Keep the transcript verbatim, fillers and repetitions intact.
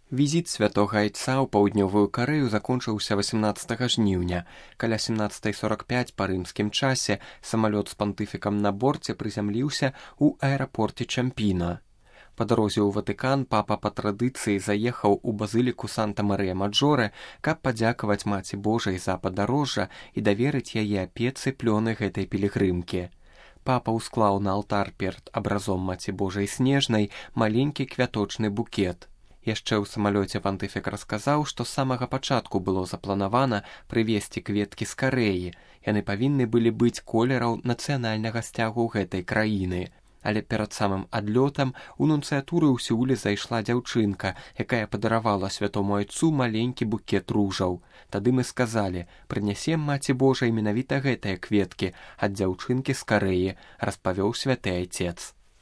Візіт святога айца ў паўднёвую Карэю закончыўся васямнаццатага жніўня. Каля семнаццатай сорак пяць па рымскім часе самалёт з пантыфікам на борце прызямліўся ў аэрапорце Чампіна. Па дарозе ў Ватыкан папа па традыцыі заехаў у базыліку Санта-Марыя-Маджоре, каб падзякаваць Маці Божай за падарожжа і даверыць яе апецы плёны гэтай пілігрымкі. Папа ўсклаў на алтар перад абразом Маці Божай снежнай маленькі квяточны букет. Яшчэ ў самалёце пантыфік расказаў, што з самага пачатку было запланавана прывезці кветкі з Карэі. Яны павінны былі быць колераў нацыянальнага сцягу гэтай краіны. Але перад самым адлётам у нунцыятуры ў Сеуле зайшла дзяўчынка, якая падаравала святому айцу маленькі букет ружаў. Тады мы сказалі, прынясем Маці Божай менавіта гэтыя кветкі ад дзяўчынкі з Карэі, распавёў святы айцец.